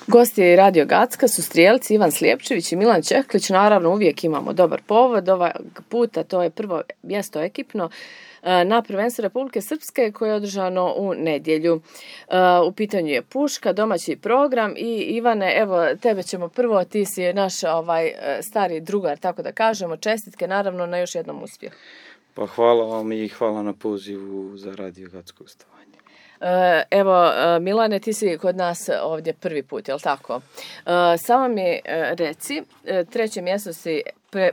Gosti Radio Gacka su strijelci Ivan Slijepčević i Milan Čehlić. Naravno, uvijek imamo dobar povod. Ovog puta to je prvo mjesto ekipno na prvenstvu Republike Srpske koje je održano u nedjelju. U pitanju je puška, domaći program i Ivane, evo tebe ćemo prvo, ti si naš stari drugar, tako da kažemo, čestitke naravno na još jednom uspjehu. Pa hvala vam i hvala na pozivu za Radio Gacko gostovanje. Evo, Milane, ti si kod nas ovdje prvi put, je li tako? Samo mi reci, treće mjesto si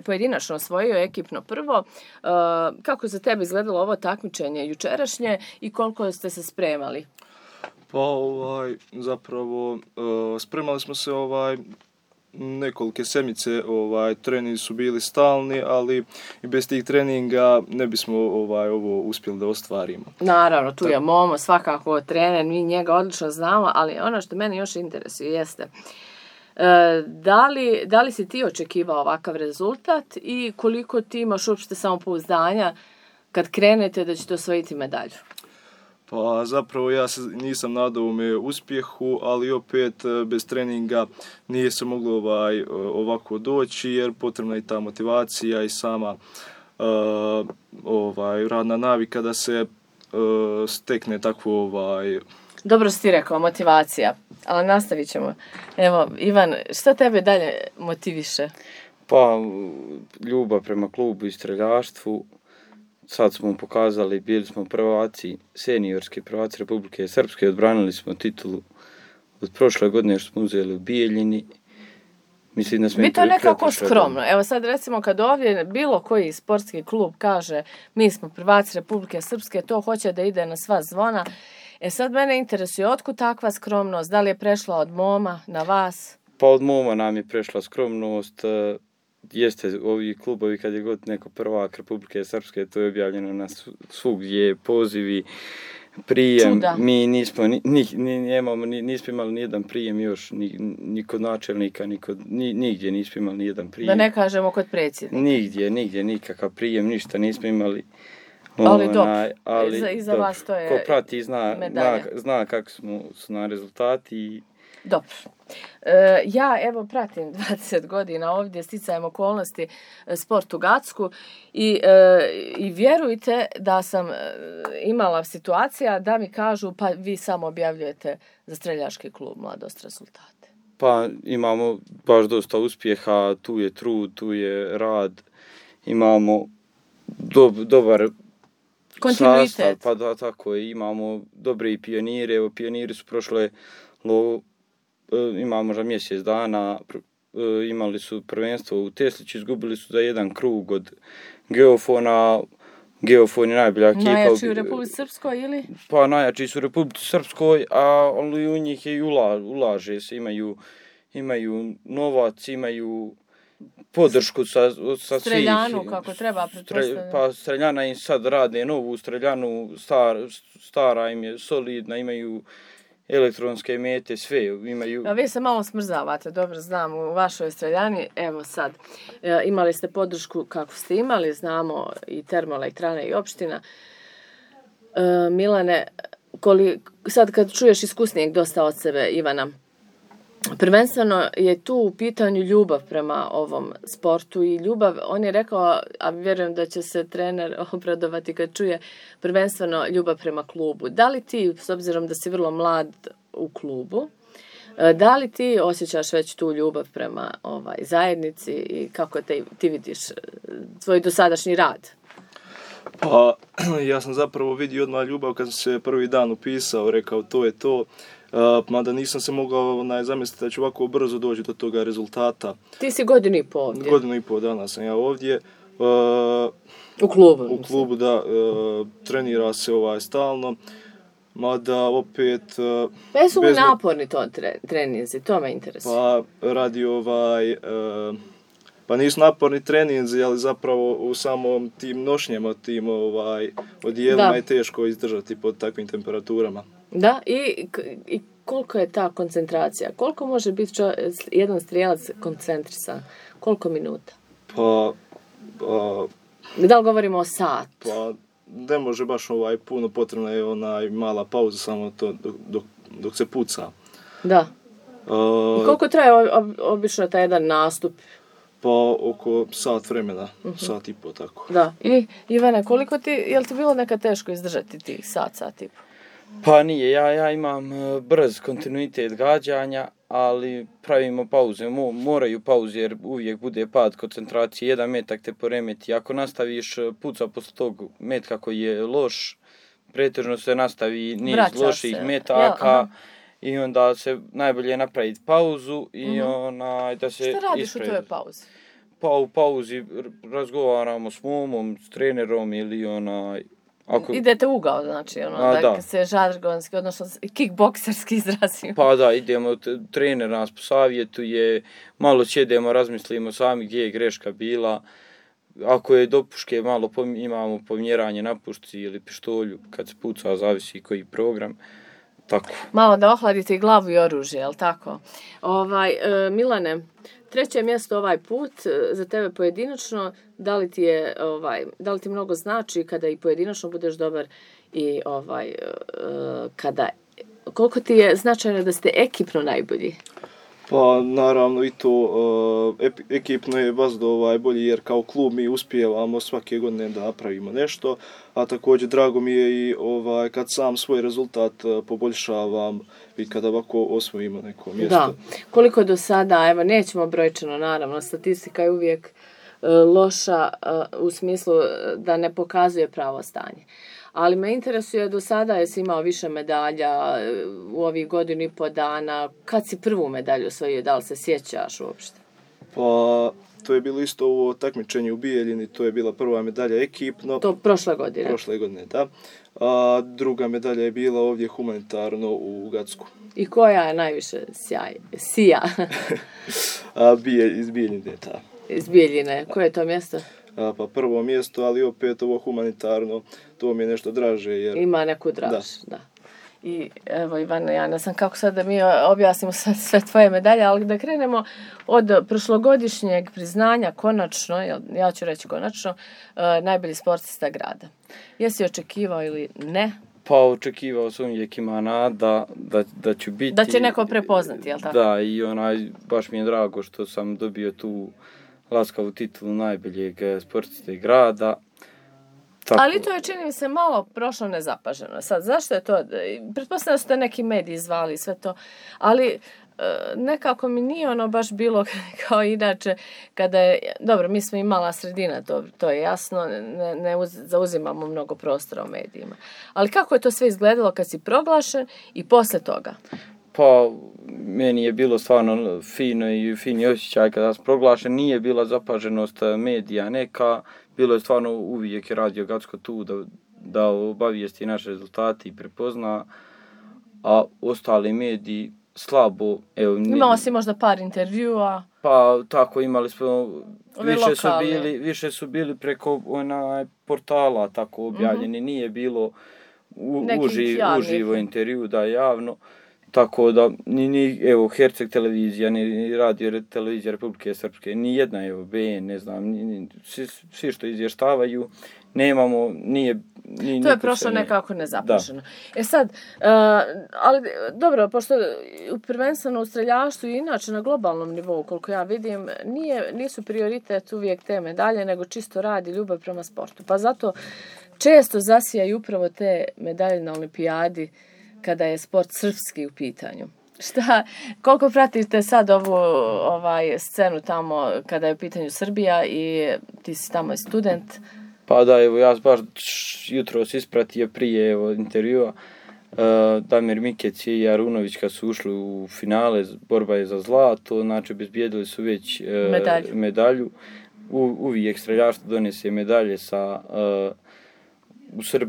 pojedinačno osvojio, ekipno prvo. Kako za tebe izgledalo ovo takmičenje jučerašnje i koliko ste se spremali? Pa zapravo spremali smo se nekolike sedmice, treninzi su bili stalni, ali i bez tih treninga ne bismo ovo uspjeli da ostvarimo. Naravno, tu je Momo, svakako trener, mi njega odlično znamo, ali ono što mene još interesuje jeste da li si ti očekivao ovakav rezultat i koliko ti imaš uopšte samopouzdanja kad krenete da ćete osvojiti medalju? Pa zapravo ja se nisam nadao uspjehu, ali opet bez treninga nije se moglo ovako doći jer potrebna je ta motivacija i sama radna navika da se stekne takvo Dobro si ti rekao, motivacija, ali nastavit ćemo. Evo, Ivan, što tebe dalje motiviše? Pa ljubav prema klubu i streljaštvu. Sad smo pokazali, bili smo prvaci, seniorski prvaci Republike Srpske, odbranili smo titulu od prošle godine što smo uzeli u Bijeljini. Mislim da smo mi to nekako skromno. Evo sad recimo kad ovdje bilo koji sportski klub kaže mi smo prvaci Republike Srpske, to hoće da ide na sva zvona. Sad mene interesuje otkud takva skromnost, da li je prešla od Moma na vas? Pa od Moma nam je prešla skromnost. Jeste, ovi klubovi kad je god neko prvak Republike Srpske, to je objavljeno na svugdje, pozivi, prijem. Čuda. Mi nismo imali nijedan prijem još, ni kod načelnika, nigdje nismo imali nijedan prijem. Da ne kažemo kod predsjednika. Nigdje, nikakav prijem, ništa nismo imali. Ali dobro, iza vas to je ko prati medalja. Zna kako su na rezultati. Dobro. Ja evo pratim 20 godina ovdje, sticajem okolnosti, sport u Gacku i vjerujte da sam imala situacija da mi kažu pa vi samo objavljujete za streljački klub Mladost rezultate. Pa imamo baš dosta uspjeha, tu je trud, tu je rad, imamo dobar kontinuitet. Sastav, pa da, tako je, imamo dobre i pionire, evo pioniri su prošle imamo možda mjesec dana, imali su prvenstvo u Tesliću, izgubili su za jedan krug od Geofona. Geofon je najbolja ekipa. Najjači u Republici Srpskoj ili? Pa najjači su u Republici Srpskoj, ali u njih je i ulaže se, imaju novac, imaju podršku sa Streljanu, svih. kako treba pretpostavljati. Pa Streljana im sad rade novu Streljanu, stara im je solidna, imaju elektronske mete, sve imaju. A vi se malo smrzavate, dobro znam, u vašoj Streljani, evo sad, imali ste podršku kako ste imali, znamo i termoelektrane i opština. Milane, sad kad čuješ iskusnijeg dosta od sebe, Ivana, prvenstveno je tu u pitanju ljubav prema ovom sportu i ljubav, on je rekao, a vjerujem da će se trener obradovati kad čuje, prvenstveno ljubav prema klubu. Da li ti, s obzirom da si vrlo mlad u klubu, da li ti osjećaš već tu ljubav prema zajednici i kako ti vidiš svoj dosadašnji rad? Pa ja sam zapravo vidio odmah ljubav kad sam se prvi dan upisao, rekao to je to. Mada nisam se mogao zamisliti da ću ovako brzo doći do toga rezultata. Ti si godinu i pol ovdje. Godinu i pol dana sam ja ovdje. U klubu. U klubu, da. Trenira se stalno. Mada opet... Pa jesu li naporni to treninzi? To me interesuje. Pa radi pa nisu naporni treninzi, ali zapravo u samom tim nošnjama, tim odijelima je teško izdržati pod takvim temperaturama. Da, i koliko je ta koncentracija? Koliko može biti jedan strijelac koncentrisan? Koliko minuta? Da li govorimo o sat? Pa ne može baš puno, potrebna je mala pauza samo to dok se puca. Da. I koliko traje obično taj jedan nastup? Pa oko sat vremena, sat i po tako. Da. I Ivane, je li ti bilo nekad teško izdržati tih sat i po? Pa nije, ja imam brz kontinuitet gađanja, ali pravimo pauze, moraju pauze jer uvijek bude pad koncentracije, jedan metak te poremeti. Ako nastaviš puca posle tog metka koji je loš, pretežno se nastavi niz loših metaka i onda se najbolje napraviti pauzu i da se ispredi. Šta radiš u tvojoj pauzi? Pa u pauzi razgovaramo s momom, s trenerom ili idete u ugao, znači, da se žargonski, odnosno kickbokserski izrazimo. Pa da, idemo, trener nas posavjetuje, malo sjedemo, razmislimo sami gdje je greška bila. Ako je do puške, malo imamo pomjeranje na pušci ili pištolju, kad se puca, zavisi koji program. Tako. Malo da ohladite i glavu i oružje, jel tako? Milane, 3. mjesto ovaj put za tebe pojedinačno, da li ti mnogo znači kada i pojedinačno budeš dobar i koliko ti je značajno da ste ekipno najbolji? Pa naravno i to ekipno je baš bolji jer kao klub mi uspijevamo svake godine da napravimo nešto, a također drago mi je i kad sam svoj rezultat poboljšavam i kada ovako osvojimo neko mjesto. Da, koliko do sada, evo nećemo brojčano naravno, statistika je uvijek loša u smislu da ne pokazuje pravo stanje. Ali me interesuje, do sada jesi imao više medalja u ovih 1.5 dana. Kad si prvu medalju osvojio, da li se sjećaš uopšte? Pa, to je bilo isto ovo takmičenje u Bijeljini, to je bila prva medalja ekipno. To prošle godine? Prošle godine, da. A druga medalja je bila ovdje humanitarno u Gacku. I koja je najviše sija? Iz Bijeljine, da. Iz Bijeljine, koje je to mjesto? Pa prvo mjesto, ali opet ovo humanitarno, to mi je nešto draže. Jer... Ima neku draž, da. I evo Ivana, ja ne znam kako sad da mi objasnimo sve tvoje medalje, ali da krenemo od prošlogodišnjeg priznanja, konačno, ja ću reći konačno, najbolji sportista grada. Jesi očekivao ili ne? Pa očekivao sam, uvijek ima nada da ću biti... Da će neko prepoznati, jel tako? Da, i baš mi je drago što sam dobio tu laskavu titulu najboljeg sportiste grada. Tako. Ali to je, čini mi se, malo prošlo nezapaženo. Sad, zašto je to? Pretpostavljam da su te neki mediji zvali sve to, ali nekako mi nije baš bilo kao inače kada je, dobro, mi smo i mala sredina, to je jasno, ne zauzimamo mnogo prostora u medijima. Ali kako je to sve izgledalo kad si proglašen i posle toga? Pa, meni je bilo stvarno fini osjećaj kada sam proglašen, nije bila zapaženost medija neka, bilo je stvarno uvijek Radio Gacko tu da obavijesti naše rezultate i prepozna, a ostali mediji slabo. Imao si možda par intervjua? Pa tako, imali smo, više su bili preko portala tako objavljeni, nije bilo uživo intervju da javno. Tako da, evo, Herceg televizija, ni radio televizija Republike Srpske, ni jedna, evo, BN, ne znam, svi što izvještavaju, nemamo, nije... To je prošlo nekako nezapaženo. Sad, ali dobro, pošto prvenstveno u streljaštvu i inače na globalnom nivou, koliko ja vidim, nisu prioritet uvijek te medalje, nego čisto rad i ljubav prema sportu. Pa zato često zasijaju upravo te medalje na olimpijadi, kada je sport srpski u pitanju. Koliko pratite sad ovu scenu tamo kada je u pitanju Srbija i ti si tamo i student? Pa da, evo, ja baš jutros ispratio prije intervjua. Damir Mikec i Arunović kad su ušli u finale, borba je za zlato, znači obezbijedili su već medalju. Uvijek streljaštvo donese medalje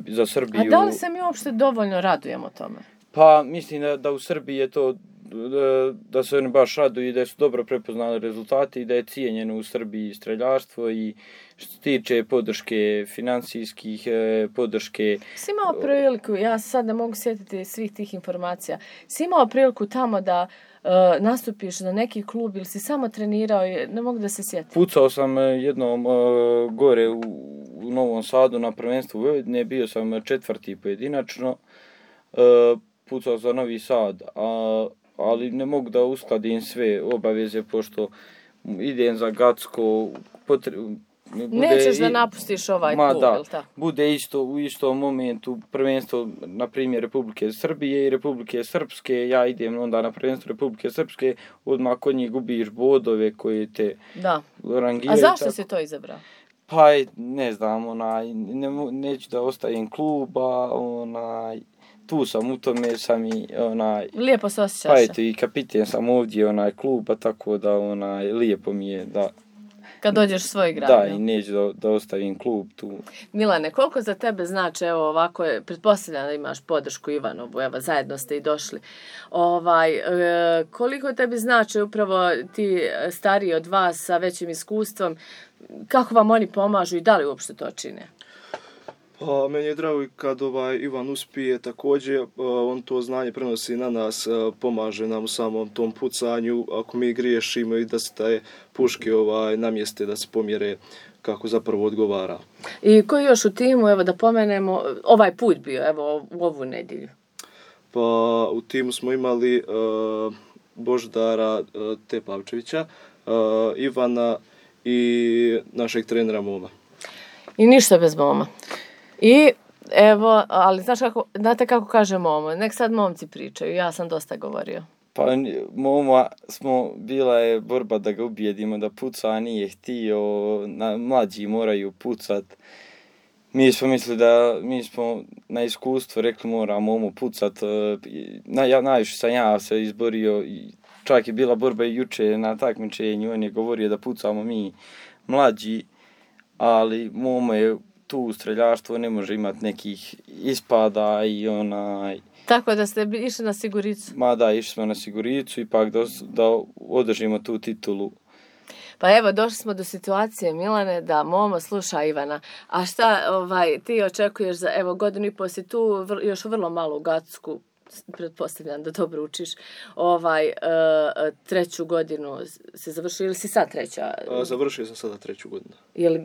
za Srbiju. A da li se mi uopšte dovoljno radujemo tome? Pa mislim da u Srbiji je to, da se oni baš raduju i da su dobro prepoznali rezultati i da je cijenjeno u Srbiji streljaštvo i što se tiče podrške financijskih, podrške... Si imao priliku, ja sad ne mogu sjetiti svih tih informacija, si imao priliku tamo da nastupiš za neki klub ili si samo trenirao, ne mogu da se sjetim. Pucao sam jednom gore u Novom Sadu na prvenstvu Vojvodine, bio sam 4. pojedinačno, pucao za Novi Sad, ali ne mogu da uskladim sve obaveze, pošto idem za Gacko, nećeš da napustiš ovaj klub, da, jel tako? Bude isto u istom momentu prvenstvo, na primjer, Republike Srbije i Republike Srpske, ja idem onda na prvenstvo Republike Srpske, odmah kod njih gubiš bodove koje te rangiraju. A zašto si to izabrao? Pa ne znam, neću da ostajem kluba, tu sam, u tome sam i lijepo se osjećaš. Pa eto, i kapiten sam ovdje kluba, tako da lijepo mi je da kad dođeš u svoj grad. Da, i neću da ostavim klub tu. Milane, koliko za tebe znači, evo ovako, pretpostavljam da imaš podršku Ivanovu, evo zajedno ste i došli. Koliko tebi znači upravo ti stariji od vas sa većim iskustvom, kako vam oni pomažu i da li uopšte to čine? Pa, meni je drago kad Ivan uspije također, on to znanje prenosi na nas, pomaže nam u samom tom pucanju, ako mi griješimo i da se te puške namjeste, da se pomjere kako zapravo odgovara. I koji još u timu, evo da pomenemo, ovaj put bio, evo u ovu nedjelju? Pa, u timu smo imali Boždara Tepavčevića, Ivana i našeg trenera Moma. I ništa bez Moma. I evo, ali znate kako kaže Momo, nek sad momci pričaju, ja sam dosta govorio. Pa Moma bila je borba da ga ubijedimo da puca, a nije htio, mlađi moraju pucat. Mi smo mislili mi smo na iskustvo rekli mora Momo pucat, najviše sam ja se izborio, čak je bila borba i juče na takmičenju, on je govorio da pucamo mi mlađi, ali Momo je tu u streljaštvu ne može imati nekih ispada i Tako da ste išli na siguricu? Ma da, išli smo na siguricu, ipak da održimo tu titulu. Pa evo, došli smo do situacije, Milane, da Momo sluša Ivana. A šta ti očekuješ za, evo, godinu i pol si tu, još vrlo malo u Gacku, pretpostavljam da dobro učiš, treću godinu si završio ili si sad treća? Završio sam sada treću godinu. Je li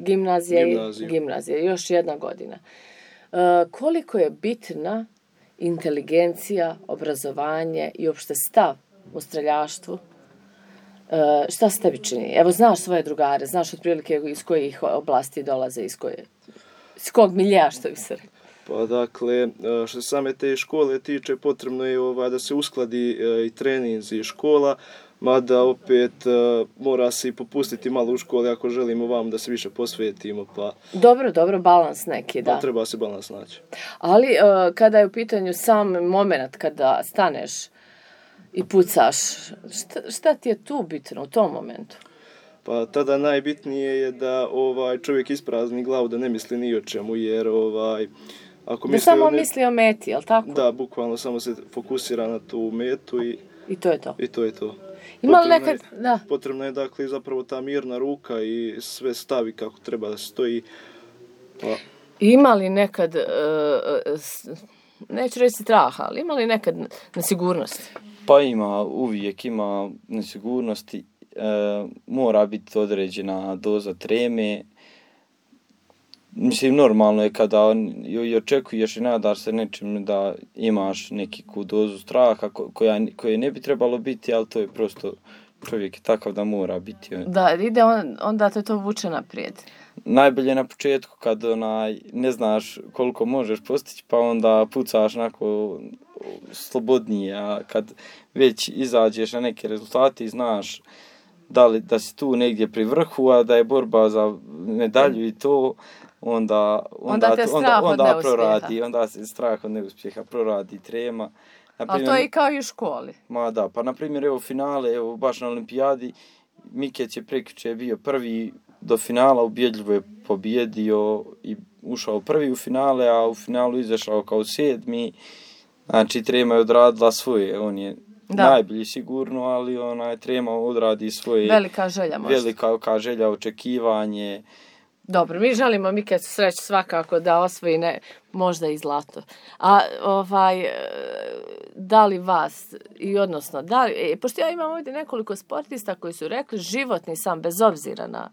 gimnazija? Još jedna godina. Koliko je bitna inteligencija, obrazovanje i uopšte stav u streljaštvu? Šta se tebi čini? Evo, znaš svoje drugare, znaš otprilike iz kojih oblasti dolaze, iz kog milija, što bi se rekao. Pa dakle, što se same te škole tiče, potrebno je da se uskladi i treninzi i škola, mada opet mora se i popustiti malo u školi ako želimo vam da se više posvetimo. Pa dobro, balans neki, da. Pa treba se balans naći. Ali kada je u pitanju sam moment kada staneš i pucaš, šta ti je tu bitno u tom momentu? Pa tada najbitnije je da čovjek isprazni glavu, da ne misli ni o čemu, jer ako da samo misli o meti, jel tako? Da, bukvalno samo se fokusira na tu metu i to je to. I to je to. Potrebno je dakle zapravo ta mirna ruka i sve stavi kako treba da stoji. Pa. Ima li nekad, neću reći straha, ali ima li nekad nesigurnosti? Pa uvijek ima nesigurnosti. Mora biti određena doza treme. Mislim, normalno je kada očekuješ i nadaš se nečim da imaš neku dozu straha koje ne bi trebalo biti, ali to je prosto, čovjek je takav da mora biti. Da, ide onda te to vuče naprijed. Najbolje na početku kad ne znaš koliko možeš postići, pa onda pucaš onako slobodnije, a kad već izađeš na neke rezultate i znaš da si tu negdje pri vrhu, a da je borba za medalju i to, onda proradi, onda se strah od neuspjeha proradi trema. Ali to je i kao i u školi. Ma da, pa na primjer evo finale, evo baš na olimpijadi, Mikeć je prekjuče bio prvi do finala, ubjedljivo je pobjedio i ušao prvi u finale, a u finalu izašao kao 7. Znači trema je odradila svoje, on je najbolji sigurno, ali trema odradi svoje. Velika želja možda. Velika želja, očekivanje. Dobro, mi želimo Mikeću sreću svakako da osvoji možda i zlato. A da li vas, i odnosno, pošto ja imam ovdje nekoliko sportista koji su rekli životni sam, bez obzira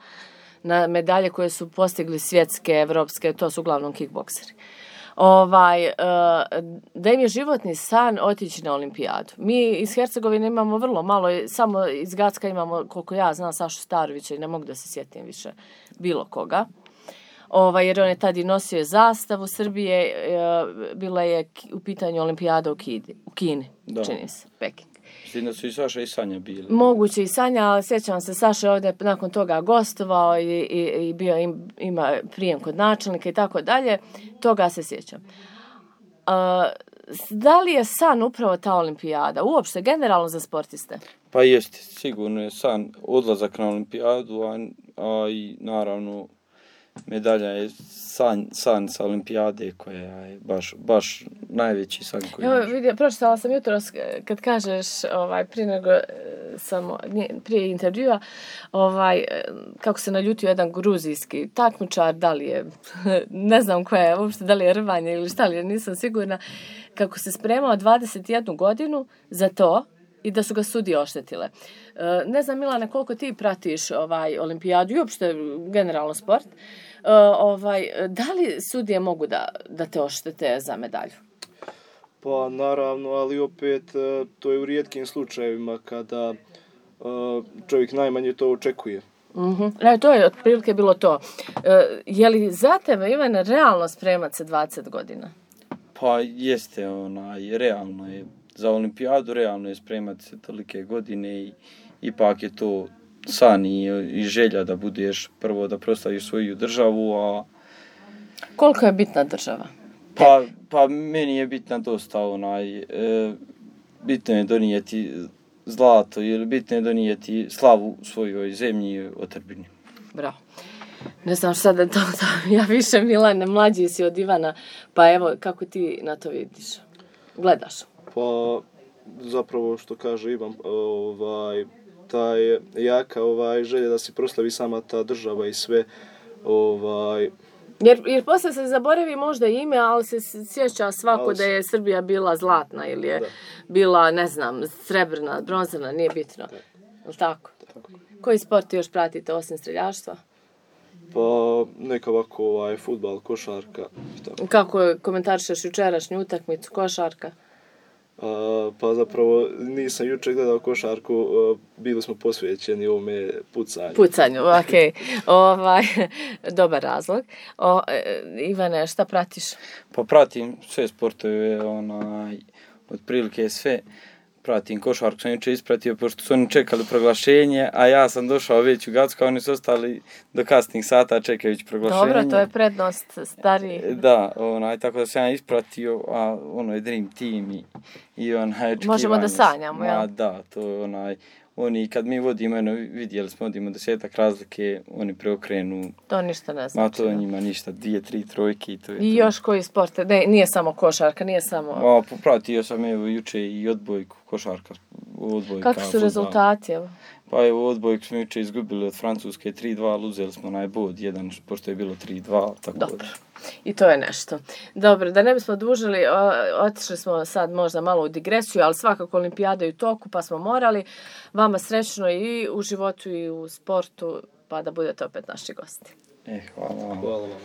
na medalje koje su postigli svjetske, evropske, to su uglavnom kickbokseri. Da im je životni san otići na olimpijadu. Mi iz Hercegovine imamo vrlo malo, samo iz Gacka imamo, koliko ja znam, Sašu Starovića i ne mogu da se sjetim više bilo koga. Jer on je tad i nosio zastavu Srbije, bila je u pitanju olimpijada u Kini, čini se, Peking. Mislim da su i Saša i Sanja bili. Moguće i Sanja, ali sjećam se, Saša je ovdje nakon toga gostovao i bio ima prijem kod načelnika i tako dalje. Toga se sjećam. Da li je san upravo ta olimpijada? Uopšte, generalno za sportiste? Pa jeste, sigurno je san odlazak na olimpijadu, a i naravno medalja je san sa olimpijade koja je baš najveći san koji Evo, vidio, pročitala sam jutros kad kažeš prije intervjua kako se naljutio jedan gruzijski takmičar, da li je ne znam koja je uopšte, da li je rvanje ili šta li je, nisam sigurna, kako se spremao 21 godinu za to i da su ga sudije oštetile. Ne znam, Milane, koliko ti pratiš olimpijadu i uopšte generalno sport. Da li sudije mogu da te oštete za medalju? Pa naravno, ali opet to je u rijetkim slučajevima kada čovjek najmanje to očekuje. To je otprilike bilo to. Je li za tebe, Ivane, realno spremat se 20 godina? Pa jeste, realno je. Za olimpijadu realno je spremati se tolike godine i ipak je to san i želja da budeš prvo da proslaviš svoju državu, a... Koliko je bitna država? Pa meni je bitna dosta bitno je donijeti zlato ili bitno je donijeti slavu svojoj zemlji i otadžbini. Bravo. Ne znam šta da to ja više, Milane, mlađi si od Ivana, pa evo kako ti na to vidiš, gledaš? Pa zapravo što kaže Ivan, ta je jaka želja da se proslavi sama ta država i sve. Jer posle se zaboravi možda ime, ali se sjeća svako da je Srbija bila zlatna ili je bila, ne znam, srebrna, bronzana, nije bitno. Je li tako? Koji sport još pratite osim streljaštva? Pa neka ovako fudbal, košarka. Kako komentarišeš jučerašnju utakmicu, košarka? Pa zapravo nisam jučer gledao košarku, bili smo posvećeni ovome pucanju. Pucanju, okej. Dobar razlog. Ivane, šta pratiš? Pa pratim sve sportove, otprilike sve. Pratim košarku, sam jučer ispratio, pošto su oni čekali proglašenje, a ja sam došao već u Gacko, a oni su ostali do kasnih sata čekajući proglašenje. Dobro, to je prednost stariji. Da, tako da sam ja ispratio, a je Dream Team i očekivanje. Možemo da sanjamo, jel? Da, to je oni kad mi vodimo, vidjeli smo, vodimo 10 razlike, oni preokrenu. To ništa ne znači. To njima ništa, 2-3 trojke i to je I to. još koji sport? Ne, nije samo košarka, nije samo... Popratio sam juče i odbojku, košarka. Kakvi su rezultati? Pa odbojku smo juče izgubili od Francuske 3-2, uzeli smo bod 1, pošto je bilo 3-2. Dobro. I to je nešto. Dobro, da ne bismo dužili, otišli smo sad možda malo u digresiju, ali svakako olimpijada je u toku, pa smo morali. Vama srećno i u životu i u sportu, pa da budete opet naši gosti. Hvala vam. Hvala vam.